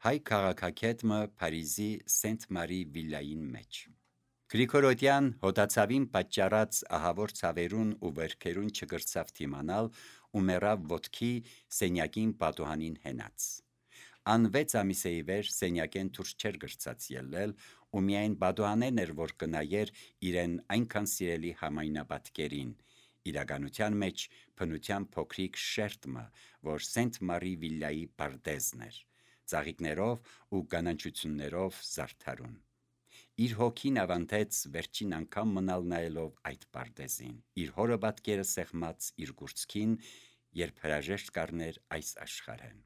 Հայ քաղաքագետը Փարիզի Սենտ-Մարի վիլային մեջ։ Գրիգորոդյան հոտացավին պատճառած ահավոր ցավերուն ու վերքերուն չգրցավ թիմանալ ու մեռավ ոտքի սենյակին պատուհանին հենած։ Ան 6 ամիսեի վեր սենյակեն դուրս չեր գրծած ելնել ու միայն պատուհանեն էր որ կնայեր իրեն այնքան սիրելի համայնապատկերին, իրականության մեջ փնության փոքրիկ շերտը, որ Սենտ-Մարի վիլայի պարտեզն էր, ծաղիկներով ու կանաչություններով զարդարուն։ Իր հոգին ավանդեց վերջին անգամ մնալ նայելով այդ պարտեզին, իր հորը պատկերը սեղմած իր գուրծքին, երբ հրաժեշտ կառներ այս աշխարհեն։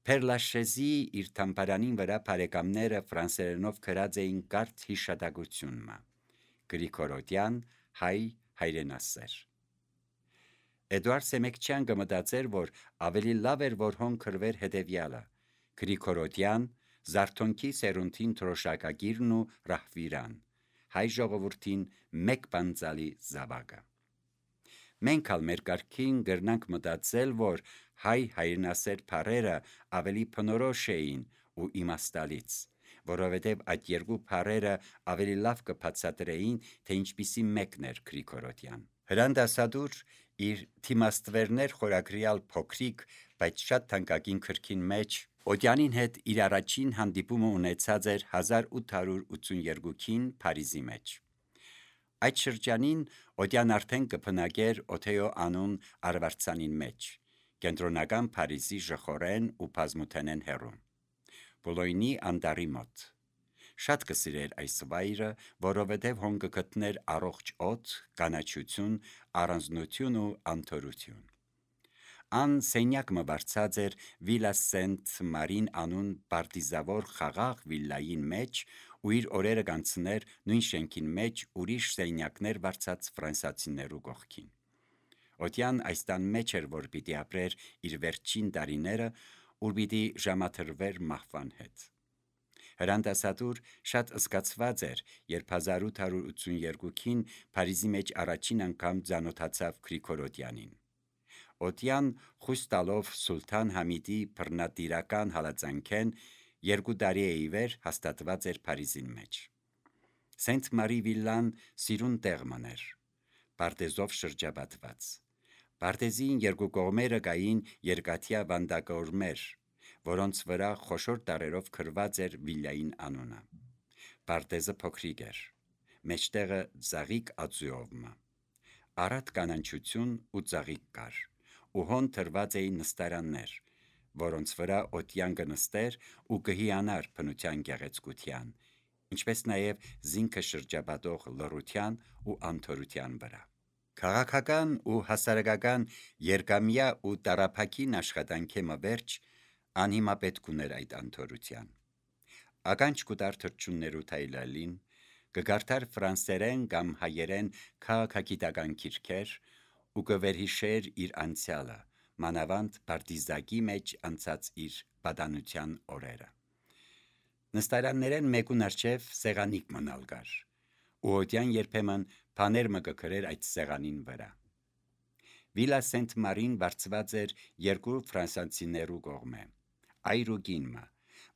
Պերլաշեզի իր թամբարանին վրա բարեկամները ֆրանսերենով գրած էին կարճ հիշատակությունը. Գրիգորոդյան, հայ հայրենասեր։ Էդուարդ Սեմեկչյան կմտածեր, որ ավելի լավ էր, որ հոն գրվեր հետևյալը. Գրիգորոդյան, Զարթոնքի սերունդին թրոշակագիրն ու ռահվիրան, հայ ժողովրդին մեկ բանձալի զավակը։ Մենք ալ մեր կարգին գրնանք մտածել, որ հայ հայրենասեր բառերը ավելի բնորոշ էին ու իմաստալից, որովհետև այդ երկու բառերը ավելի լավ կբացատրեին, թե ինչպիսի մեկն էր Գրիգորոդյան։ Հրանդասադուր իր «Թիմաստվերներ» խորագրյալ փոքրիկ, բայց շատ թանկագին գրքին մեջ Օդյանին հետ իր առաջին հանդիպումը ունեցած էր 1882-ին Փարիզի մեջ։ Այդ շրջանին Օդյան արդեն կփնագեր Օթեո անուն արվարձանին մեջ, կենտրոնական Փարիզի ժխորեն ու բազմութենեն հեռում, Բուլոյնի անտառի մոտ։ Շատ կսիրեր այս վայրը, որովհետև հոն կգտներ առողջ օդ, կանաչություն, առանձնություն ու անթորություն։ Ան սենյակ մը վարձած էր Վիլա Սենտ-Մարին անուն պարտիզավոր խաղաղ վիլային մեջ ու իր օրերը կանցներ նույն շենքին մեջ ուրիշ սենյակներ վարձած ֆրանսիացիներու կողքին։ Օդյան այս տան մեջ էր, որ պիտի ապրեր իր վերջին տարիները, ուր պիտի ժամադրվեր մահվան հետ։ Հրանդասատուր շատ զգացված էր, երբ 1882-ին Փարիզի մեջ առաջին անգամ ծանոթացավ Գրիգորոդյանին։ Օդյան խույս տալով Սուլթան Համիդի բռնատիրական հալածանքեն 2 տարի է ի վեր հաստատված էր Փարիզին մեջ։ Սենտ-Մարի վիլան սիրուն տեղ մներ, պարտեզով շրջապատված։ Պարտեզին երկու կողմերը կային երկաթյա վանդակորմեր, որոնց վրա խոշոր տառերով գրված էր վիլային անունը։ Պարտեզը փոքրիկ էր, մեջտեղը ծաղիկ ածուովը, առատ կանաչություն ու ծաղիկ կար, ու հոն թրված էին նստարաններ, որոնց վրա Օդյան կնստեր ու կհիանար բնության գեղեցկության, ինչպես նաև զինքը շրջապատող լռության ու անթորության վրա։ Քաղաքական ու հասարակական երկամյա ու տառափակին աշխատանքի մվերջ անհիմա պետք ուներ այդ անթորության։ Ականջ կուտար թրջուններու թայլալին, կգարդար ֆրանսերեն կամ հայերեն քաղաքագիտական գիրքեր ու կվերհիշեր իր անցյալը, մանավանդ պարտիզակի մեջ անցած իր պատանության օրերը։ Նստարաններեն մեկուն առջև սեղանիկ մնալ կար, ու Օդյան երբեմն բաներ մը կգրեր այդ սեղանին վրա։ Վիլա Սենտ-Մարին վարձված էր 2 ֆրանսիացիներու կողմէ, այր ու կինը,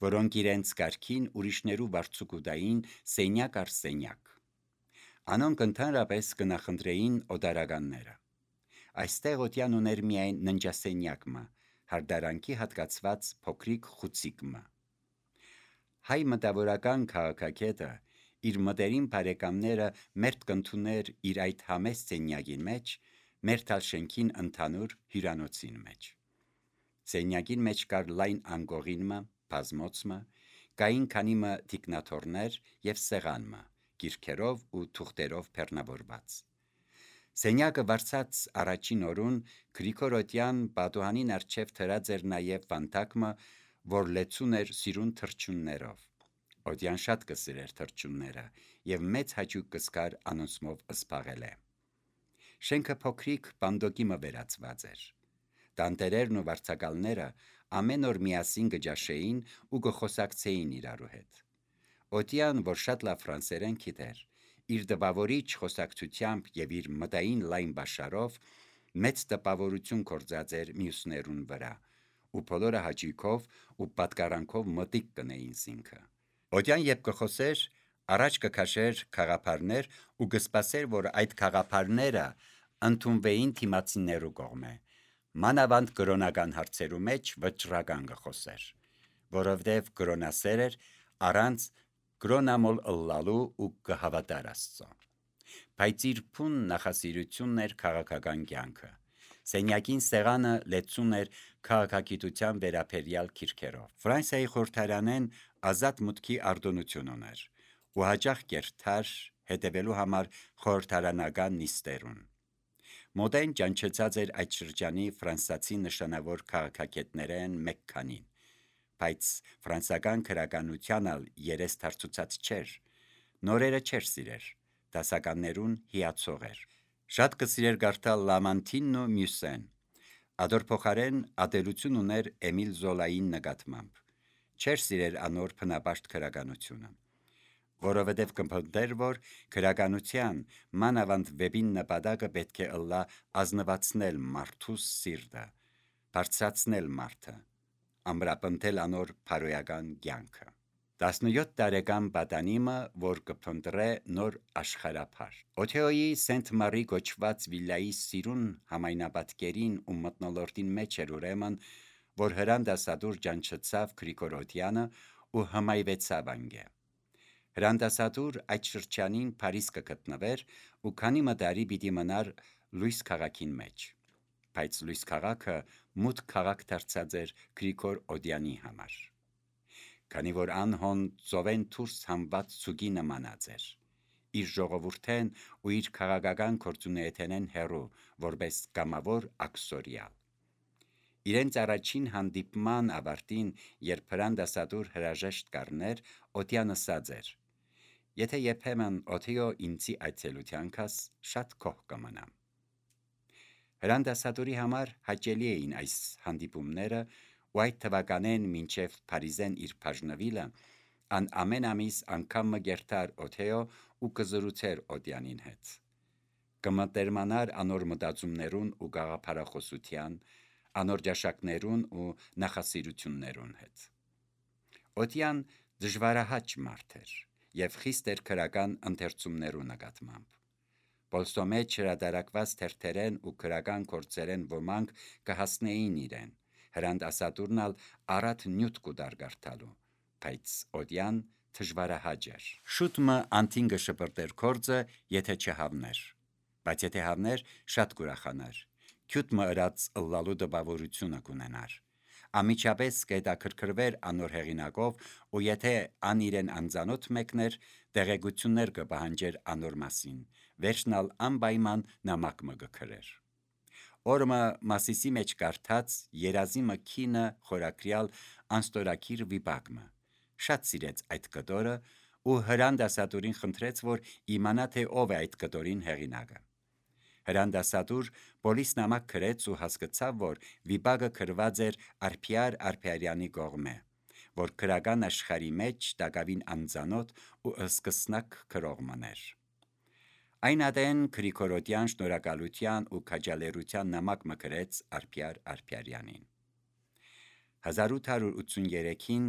որոնք իրենց կարգին ուրիշներու վարձուկուտային սենյակ առ սենյակ։ Անոնք ընդհանրապես կնախընտրեին օդարականները։ Այստեղ Օդյան ուներ միայն ննջասենյակը, հարդարանքի հատկացված փոքրիկ խուցիկը։ Հայ մտավորական քաղաքագետը իր մտերիմ բարեկամները մերթ կընդուներ իր այդ համեստ սենյակին մեջ, մերթալ շենքին ընդհանուր հյուրանոցին մեջ։ Սենյակին մեջ կար լայն անկողինը, բազմոցը, կային քանիմը թիկնաթոռներ և սեղանը, գիրքերով ու թուղթերով բեռնավորված։ Սենյակը վարձած առաջին օրուն Գրիգորոդյան պատուհանին առջև դրած էր նաև վանդակը, որ լեցուն էր սիրուն թրջուններով։ Օդյան շատ կսիրեր թրջունները և մեծ հաճույք կզգար անոնցմով զբաղել է։ Շենքը փոքրիկ բանդոկի մը վերածված էր։ Տանտերերն ու վարձակալները ամեն օր միասին կճաշեին ու կխոսակցեին իրարու հետ։ Օդյան, որ շատ լավ ֆրանսերեն գիտեր, իր տպավորիչ խոսակցությամբ և իր մտային լայն բաշարով մեծ տպավորություն գործած էր մյուսներուն վրա ու բոլորը հաճույքով ու պատկարանքով մտիկ կնեին զինքը։ Օդյան երբ կխոսեր, առաջ կքաշեր խաղապարներ ու կսպասեր, որ այդ խաղապարները ընդունվեին թիմացիներու կողմէ, մանավանդ կրոնական հարցերու մեջ վճռական կխոսեր, որովհետև կրոնասեր էր առանց կրոնամոլ ըլլալու ու կհավատար Աստծո։ Բայց իր փուն նախասիրությունն էր քաղաքական կյանքը։ Սենյակին սեղանը լեցուն էր քաղաքագիտության վերաբերյալ քիրքերով։ Ֆրանսիայի խորհրդարանեն ազատ մուտքի արտոնություն ուներ ու հաճախ կերթար հետևելու համար խորհրդարանական նիստերուն։ Մոդեն ճանչեցած էր այդ շրջանի ֆրանսացի նշանավոր քաղաքագետներեն մեկ քանին, բայց ֆրանսական քրականության երես դարձուցած չէր, նորերը չէր սիրեր, դասականներուն հիացող էր։ Շատ կսիրեր կարդալ Լամանտինն ու Մյուսեն, ադոր փոխարեն ատելություն ուներ Էմիլ Զոլային նկատմամբ, չէր սիրեր անոր փնապաշտ քրականությունը, որովհետև կմփնտեր, որ քրականության մանավանդ վեբին նպատակը պետք է ըլլա ազնվացնել մարդուս սիրտը, բարձրացնել մարդը, ամրապնդել անոր փարոյական կյանքը։ 17 տարեկան պատանիմը, որ կփնտրե նոր աշխարհափար։ Օթեոյի Սենտ Մարի գոչված վիլայի սիրուն համայնապատկերին ու մթնոլորտին մեջ էր ուրեմն, որ հրանդասադուր ճանչեցավ Գրիգորոդյանը ու հմայվեցավ անգե։ Հրանդասադուր այդ շրջանին Փարիզ կգտնվեր ու քանի մտարի պիտի մնար լույս քաղաքին մեջ, բայց լույս քաղաքը մութ քաղաք դարձած էր Գրիգոր Օդյանի համար, քանի որ անհոն ծովեն դուրս համված ցուգի նմանած էր, իր ժողովուրդեն ու իր քաղաքական գործունեութենեն հեռու, որպես կամավոր աքսորիալ։ Իրենց առաջին հանդիպման ավարտին, երբ հրանդասադուր հրաժեշտ կառներ, Օդյան ասաց էր. «Եթե երբեմն Օթեո ինձի այցելության կաս, շատ գոհ կմնամ»։ Հրանդասադուրի համար հաճելի էին այս հանդիպումները ու այդ թվականեն մինչև Փարիզեն իր բաժնվիլը, ան ամեն ամիս անգամ մը գերտար Օթեո ու կզրուցեր Օդյանին հետ, կմտերմանար անոր մտածումներուն ու գաղափարախոսության, անոր ճաշակներուն ու նախասիրություններուն հետ։ Օդյան դժվարահաճ մարդ էր և խիստ էր քրական ընթերցումներու նկատմամբ։ Պոլսո մեջ հրատարակված թերթերեն ու քրական գործերեն ոմանք կհասնեին իրեն, հրանդասադուրն ալ առատ նյութ կուտար կարդալու, բայց Օդյան դժվարահաճ էր։ Շուտ մը անթին կշպրտեր գործը, եթե չհավներ, բայց եթե հավներ, շատ կուրախանար, քյութ մը ըրած ըլլալու տպավորությունը կունենար, ամիջապես կհետաքրքրվեր անոր հեղինակով ու եթե ան իրեն անծանոթ մեկներ, տեղեկություններ կպահանջեր անոր մասին, վերջնալ անպայման նամակ մը կգրեր։ Օրը Մասիսի մեջ կարդաց երազի մը քինը խորակրյալ անստորակիր վիպակը, շատ սիրեց այդ կտորը ու հրանդասադուրին խնդրեց, որ իմանա, թե ով է այդ կտորին հեղինակը։ Հրանդասադուր բոլիս նամակ գրեց ու հասկացավ, որ վիպակը գրված էր Արփիար Արփիարյանի կողմէ, որ քրական աշխարհի մեջ տակավին անծանոթ ու սկսնակ գրող մըներ։ Այն ատեն Գրիգորոդյան շնորհակալության ու քաջալերության նամակ մը գրեց Արփիար Արփիարյանին։ 1883-ին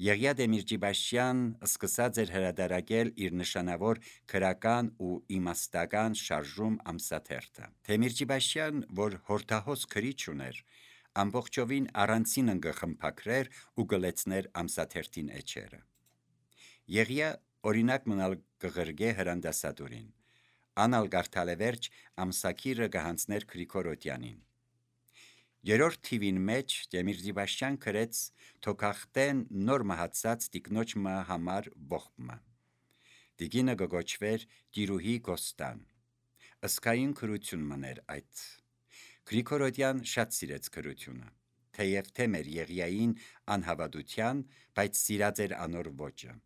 Եղիա Դեմիրճիբաշյան սկսած էր հրատարակել իր նշանավոր քրական ու իմաստական շարժում ամսաթերթը։ Դեմիրճիբաշյան, որ հորդահոս քրիչ ուներ, ամբողջովին առանցին ընկխմփակրեր ու գլեցներ ամսաթերթին էջերը։ Եղիա օրինակ մնալ կղրգե հրանդասադուրին, անալ գարթալևերջ ամսակիրը կհանցներ Գրիգորոդյանին։ Երորդ թիվին մեջ Դեմիրճիբաշյան գրեց թոքախտեն նոր մահացած տիկնոջ մը համար ողբը։ Տիկինը կգոչվեր Տիրուհի Գոստան։ Ըսկային քրություն մներ այդ։ Գրիգորոդյան շատ սիրեց քրությունը, թեև թեմ էր Եղիային անհավատության, բայց սիրած էր անոր ոճը։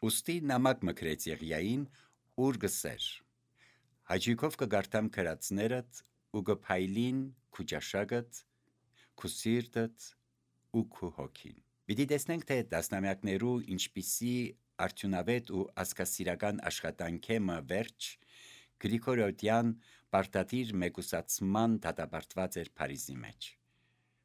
Ուստի նամակ մը գրեց Եղիային, ուր գսեր. հաճույքով կգարտամ քրածներդ ու կփայլին քու ճաշակդ, քու սիրտդ ու քու հոգին։ Պիտի տեսնենք, թե տասնամյակներու ինչպիսի արդյունավետ ու ազգասիրական աշխատանքի մը վերջ Գրիգորոդյան պարտադիր մեկուսացման դատապարտված էր Փարիզի մեջ։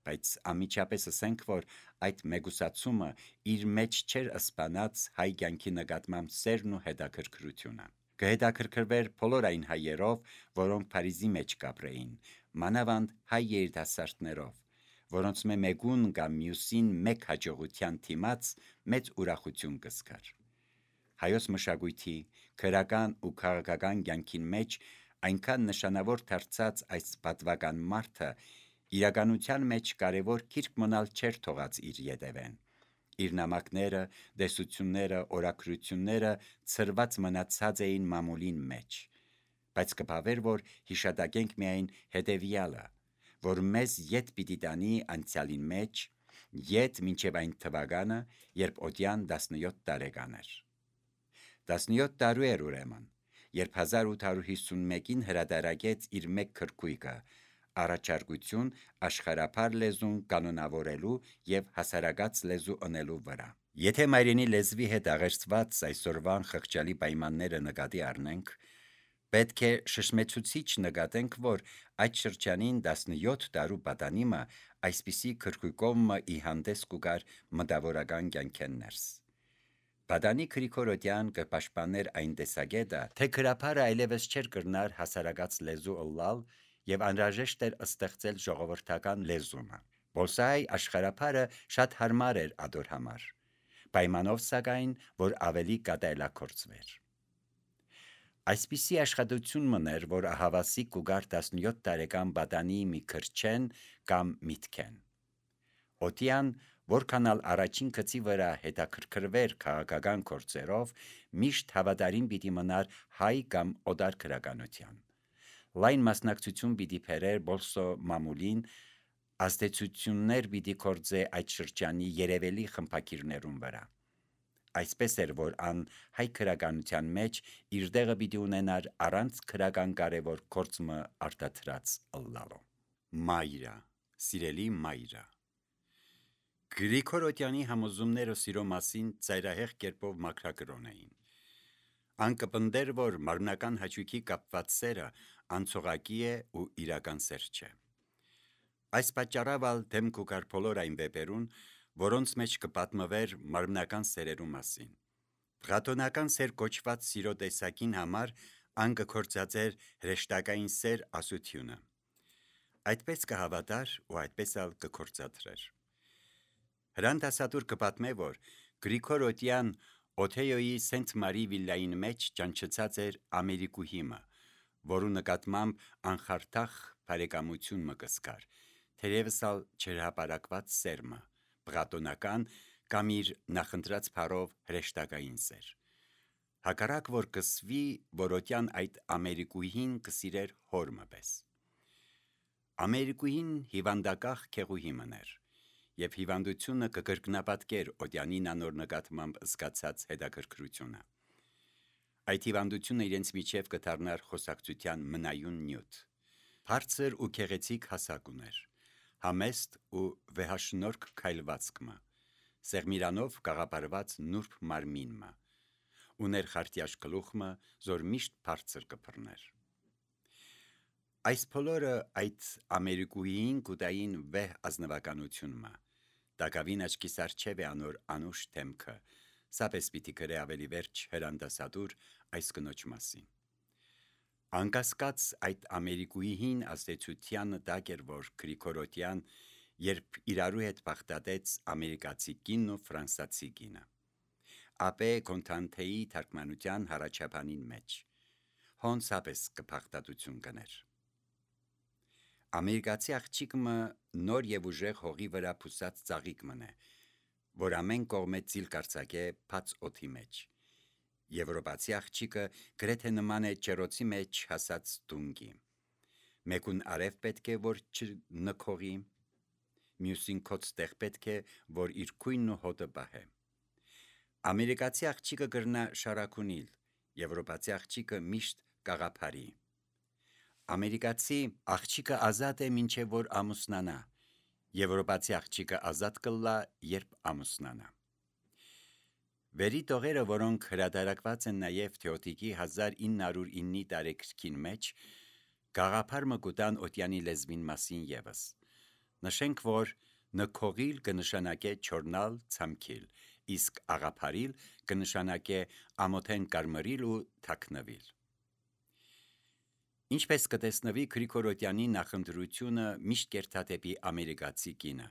բայց անմիջապես ասենք, որ այդ մեգուսացումը իր մեջ չէր ըսպանած հայ կյանքի նկատմամբ սերն ու հետաքրքրությունը։ Կհետաքրքրվեր բոլոր այն հայերով, որոնք Փարիզի մեջ կապրեին, մանավանդ հայ երիտասարդներով, որոնց մեկուն կամ մյուսին մեկ հաջողության թիմաց մեծ ուրախություն կզգար։ Հայոց մշակույթի, քրական ու քաղաքական կյանքին մեջ այնքան նշանավոր դարձած այս պատվական մարդը իրականության մեջ կարևոր քիրք մնալ չէր թողած իր ետևեն։ Իր նամակները, դեսությունները, օրագրությունները ցրված մնացած էին մամուլին մեջ, բայց կփավեր, որ հիշատակենք միայն հետևյալը, որ մեզ ետ պիտի տանի անցյալին մեջ, ետ մինչև այն թվականը, երբ Օդյան 17 տարեկան էր։ 17 տարու էր ուրեմն, երբ 1851-ին հրատարակեց իր մեկ քրքույկը «Առաջարկություն աշխարհափար լեզուն կանոնավորելու և հասարակած լեզու ընելու վրա»։ Եթե մայրենի լեզվի հետ աղերսված այսօրվան խղճալի պայմանները նկատի առնենք, պետք է շշմեցուցիչ նկատենք, որ այդ շրջանին 17 տարու պատանիմը այսպիսի քրքույկով ի հանդես կուգար մտավորական կյանքեն ներս։ Պատանի Գրիգոր Օդյան կպաշտպաներ այն տեսակետը, թե գրաբարը այլևս չէր կրնար հասարակած լեզու ըլլալ և անհրաժեշտ էր ստեղծել ժողովրդական լեզումը։ Պոլսահայ աշխարհափարը շատ հարմար էր ադոր համար, պայմանով սակայն, որ ավելի կատարելագործվեր։ Այսպիսի աշխատություն մներ, որ ահավասիկ կուգար 17 տարեկան պատանի մի քրչեն կամ միտքեն։ Օդյան, որքանալ առաջին գծի վրա հետաքրքրվեր քաղաքական գործերով, միշտ հավատարիմ պիտի մնար հայ կամ օտար գրականության։ Լայն մասնակցություն պիտի բերեր բոլսո մամուլին, ազդեցություններ պիտի գործե այդ շրջանի երևելի խմբագիրներուն վրա։ Այսպես էր, որ ան հայ գրականության մեջ իր տեղը պիտի ունենար առանց գրական կարևոր գործը արտադրած ըլլալու։ Մայրը, սիրելի մայրը։ Գրիգոր Օդյանի համոզումները սիրո մասին ծայրահեղ կերպով մաքրագրոն էին։ Ան կպնդեր, որ մարմնական հաճույքի կապված սերը անցողակի է ու իրական սեր չէ։ Այս պատճառով ալ դեմ կուգար բոլոր այն վեպերուն, որոնց մեջ կպատմվեր մարմնական սերերու մասին։ Պլատոնական սեր կոչված սիրո տեսակին համար ան կգործածեր հրեշտակային սեր ասությունը։ Այդպես կհավատար ու այդպես ալ կգործադրեր։ Հրանդասատուր կպատմե, որ Գրիգոր Օդյան Օթեյոյի Սենտ Մարի վիլլային մեջ ճանչցած էր ամերիկուհիմը, որու նկատմամբ անխարդախ բարեկամություն մը կսկար, թերևս ալ չհրապարակված սերմը, պլատոնական կամ իր նախընտրած բառով հրեշտակային սեր։ Հակառակ որ կսվի, որ Օդյան այդ ամերիկուհին կսիրեր հորմը պես։ Ամերիկուհին հիվանդակախ քեղուհի մներ, և հիվանդությունը կկրկնապատկեր Օդյանին անոր նկատմամբ զգացած հետաքրքրությունը։ Այդ հիվանդությունը իրենց միջև կդառնար խոսակցության մնայուն նյութ։ Բարձր ու գեղեցիկ հասակ ուներ, համեստ ու վեհաշնորհք քայլվածք մը, սեղմիրանով կաղապարված նուրբ մարմին մը, ուներ խարտյաշ գլուխ մը, զոր միշտ բարձր կփռներ։ Այս բոլորը այդ ամերիկուհիին կուտային վեհ ազնվականություն մը, տակավին աչքիս առջև է անոր անուշ դեմքը, սապես պիտի գրե ավելի վերջ հրանդասատուր այս կնոջ մասին։ Անկասկած այդ ամերիկուհին ազդեցության տակ էր, որ Գրիգոր Օդյան, երբ իրարու հետ բախտատեց ամերիկացի կինն ու ֆրանսացի կինը։ Ապե Կոնտանթեի թարգմանության հառաչապանին մեջ հոն սապես կփախտատություն կներ։ Ամերիկացի աղջիկը նոր և ուժեղ հողի վրա փուսած ծաղիկ մնե, որ ամեն կողմե ծիլ կարծակե բաց օդի մեջ։ Եվրոպացի աղջիկը գրեթե նման է ջեռոցի մեջ հասած տունգի։ Մեկուն արև պետք է, որ չնքողի, մյուսին քոծ տեղ պետք է, որ իր քույնն ու հոտը պահե։ Ամերիկացի աղջիկը կրնա շարակունել, եվրոպացի աղջիկը միշտ կաղապարի։ Ամերիկացի աղջիկը ազատ է մինչև որ ամուսնանա, եվրոպացի աղջիկը ազատ կլա, երբ ամուսնանա։ Վերի տողերը, որոնք հրատարակված են նաև Թեոդիկի 1909 տարեգրքին մեջ, գաղափար մը կուտան Օդյանի լեզվին մասին ևս։ Նշենք, որ նքողիլ կնշանակե չորնալ, ցամքիլ, իսկ աղափարիլ կնշանակե ամոթեն կարմրիլ ու թաքնվիլ։ Ինչպես կտեսնվի, Գրիգորոդյանի նախընտրությունը միշտ կերտադեպի ամերիկացի կինը,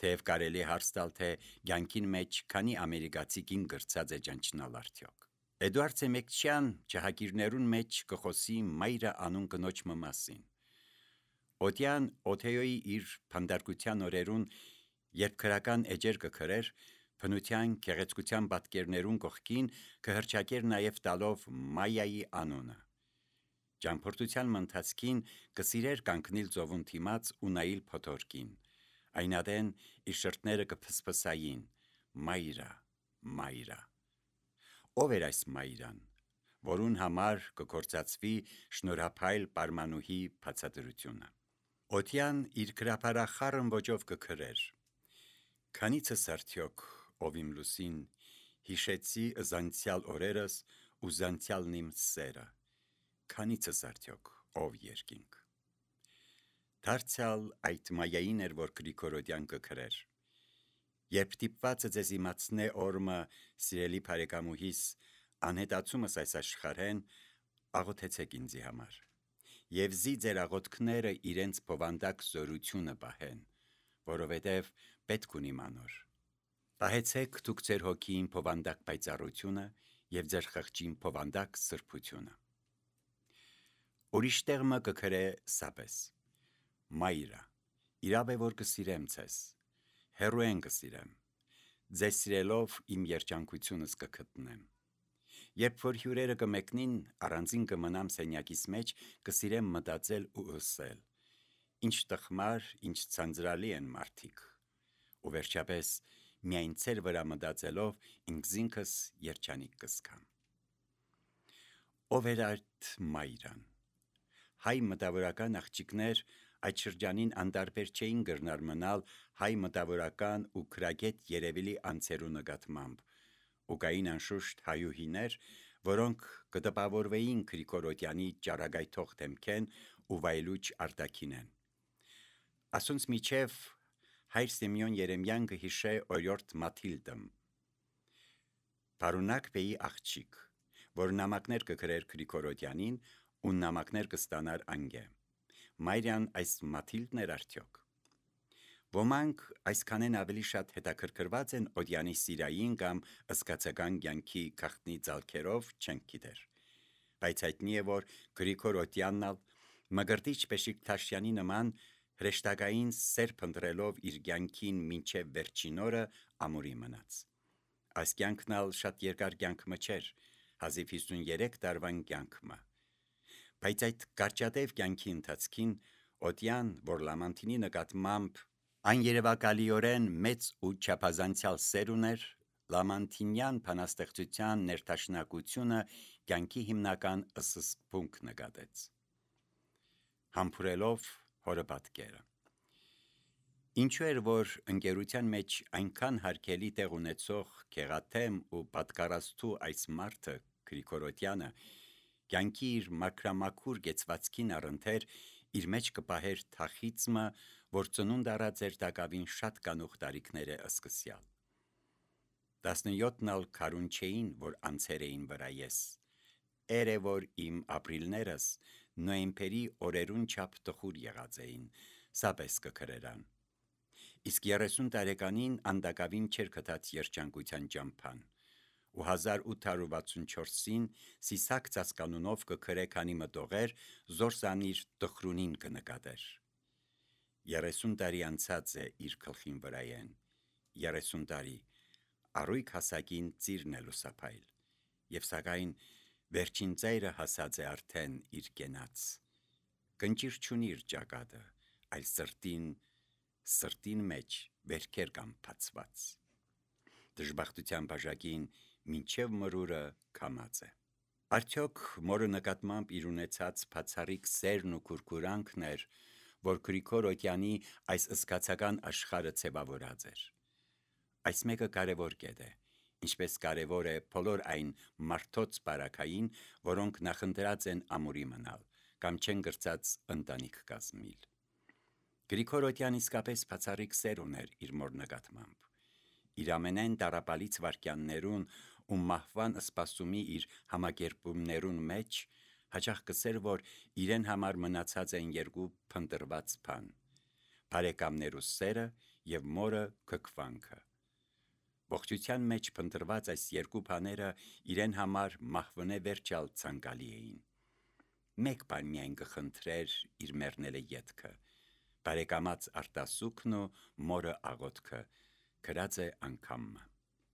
թեև կարելի է հարց տալ, թե կյանքին մեջ քանի ամերիկացի կին գրծած է ճանչնալ արդյոք։ Էդուարդ Սեմեկչյան ջահագիրներուն մեջ կխոսի մայրը անուն կնոջ մասին։ Օդյան Օթեոյի իր փանդարկության օրերուն, երբ քրական էջեր կգրեր, բնության գեղեցկության պատկերներուն կողքին կհրճակեր նաև տալով Մայայի անունը։ Ճամփորդության ընթացքին կսիրեր կանգնել ծովուն դիմաց ու նայել փոթորկին, այնադեն իր շրթները կփսփսային. «Մայրա, Մայրա»։ Ով էր այս Մայրան, որուն համար կգործածվի շնորհափայլ պարմանուհի բացատրությունը։ Օթյան իր գրաբարախառն ոճով կգրեր. «Քանիցս արդյոք, ով իմ լուսին, հիշեցի զանցյալ օրերս ու զանցյալն իմ սերը, քանիցս արդյոք, ով երկինք»։ Դարձյալ այդ Մայային էր, որ Գրիգորոդյան կգրեր. «Երբ դիպվածը ձեզ իմացնե օրմը, սիրելի բարեկամուհիս, անհետացումս այս աշխարհեն, աղոթեցեք ինձի համար, և զի ձեր աղոթքները իրենց բովանդակ զորությունը պահեն, որովհետև պետք ունիմ անոր։ Պահեցեք դուք ձեր հոգին բովանդակ պայծառությունը և ձեր խղճին բովանդակ սրբությունը»։ Ուրիշ տեղը կգրե սապես. «Մայրա, իրավ է, որ կսիրեմ ձեզ, հեռուեն կսիրեմ, ձեզ սիրելով իմ երջանկությունս կգտնեմ։ Երբ որ հյուրերը կմեկնին, առանձին կմնամ սենյակիս մեջ, կսիրեմ մտածել ու ըսել. ինչ տխմար, ինչ ցանցրալի են մարդիկ, ու վերջապես միայն ձեր վրա մտածելով ինքզինքս երջանիկ կզգամ»։ Ով էր այդ Մայրան։ Հայ մտավորական աղջիկներ այդ շրջանին անտարբեր չէին կրնար մնալ հայ մտավորական ու քրագետ երևելի անձերու նկատմամբ, ու կային անշուշտ հայուհիներ, որոնք կտպավորվեին Գրիգորոդյանի ճառագայթող դեմքեն ու վայելուչ արտաքինեն։ Ասոնց միջև հայր Սիմեոն Երեմյան կհիշե օրիորդ Մաթիլդը, Փարունակ բեի աղջիկ, որ նամակներ կգրեր Գրիգորոդյանին ու նամակներ կստանար անգե։ Մայրյան այս Մաթիլդն էր արդյոք։ Ոմանք այսքանեն ավելի շատ հետաքրքրված են Օդյանի սիրային կամ զգացական կյանքի գաղտնի ձալքերով, չենք գիտեր, բայց հայտնի է, որ Գրիգոր Օդյանն Մկրտիչ Բեշիկտաշյանի նման հրեշտակային սեր փնտրելով իր կյանքին մինչև վերջին օրը ամուրի մնաց։ Այս կյանքն ալ շատ երկար կյանքը չէր, հազիվ 53 տարվան կյանքը։ Բայց այդ կարճատև կյանքի ընթացքին Օդյան, որ Լամանտինի նկատմամբ աներևակալիորեն մեծ ու չափազանցյալ սեր ուներ, Լամանտինյան բանաստեղծության ներդաշնակությունը կյանքի հիմնական սկզբունք նկատեց։ Համբուրելով հորը պատկերը։ Ինչու էր, որ ընկերության մեջ այնքան հարգելի տեղ ունեցող գեղաթեմ ու պատկառաստու այս մարդը Գրիգորոդյանը կյանքի իր մաքրամաքուր կեցվածքին առընթեր իր մեջ կպահեր թախիծմը, որ ծնունդ առած էր տակավին շատ կանուխ տարիքները սկսյալ։ 17-ն ալ քարուն չէին, որ անցեր էին վրա ես, էր է, որ իմ ապրիլներս նոյեմբերի օրերուն չափ տխուր եղած էին, սապես կգրերան։ Իսկ 30 տարեկանին անդակավին չեր գտած երջանկության ճամփան, ու 1864-ին Սիսակ ծածկանունով կգրե քանի մտողեր, զորսանիր տխրունին կնկատեր։ 30 տարի անցած է իր գլխին վրայեն, 30 տարի, առույգ հասակին ծիրն է լուսափայլ, և սակայն վերջին ծայրը հասած է արդեն իր կենաց, կնճիր չունի իր ճակատը, այլ սրտին մեջ վերքեր կան բացված, դժբախտության բաժակին մինչև մրուրը քամած է։ Արդյոք մորը նկատմամբ իր ունեցած բացառիկ սերն ու քուրքուրանքն էր, որ Գրիգոր Օդյանի այս զգացական աշխարհը ձևավորած էր։ Այս մեկը կարևոր կետ է, ինչպես կարևոր է բոլոր այն մարդոց բարակային, որոնք նախընտրած են ամուրի մնալ կամ չեն գրծած ընտանիք կազմիլ։ Գրիգորոդյան իսկապես բացառիկ սեր ուներ իր մոր նկատմամբ։ Իր ամենայն տառապալից վարքյաններուն ու մահվան սպասումի իր համակերպումներուն մեջ հաճախ կսեր, որ իրեն համար մնացած են երկու փնտրված բան՝ բարեկամներու սերը եւ մորը քքվանքը։ Ողջության մեջ փնտրված այս երկու բաները իրեն համար մահվնե վերջալ ցանկալի էին։ Մեկ բան միայն կխնդրեր իր մեռնելը ետքը՝ բարեկամած արտասուքն ու մորը աղոթքը, գրած է անգամը։